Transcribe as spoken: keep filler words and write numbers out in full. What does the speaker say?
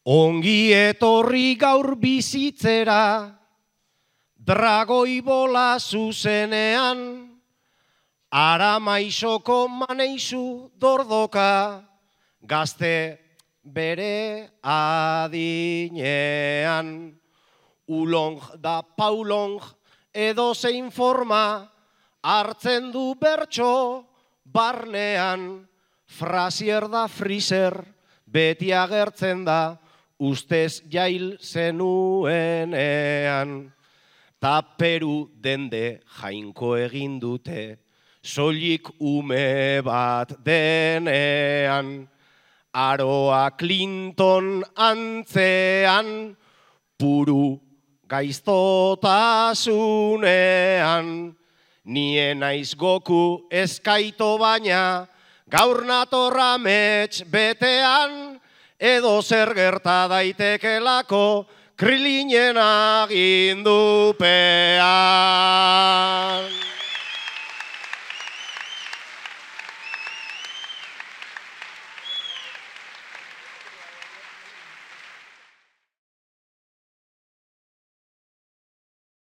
Ongi etorri gaur bizitzera, dragoi bola zuzenean, Aramaixoko maneizu dordoka, gazte bere adinean. Ulong da paulong edo zein forma, hartzen du bertso barnean. Frasier da friser, beti agertzen da, ustez jail zenuenean. Ta Peru dende jainko egin dute, soilik ume bat denean. Aroa Clinton antzean, puru gaiztotasunean. Nien naiz Goku eskaito baina, gaur natorra mets betean, edo zer gerta daitekelako Krilinen agindupean.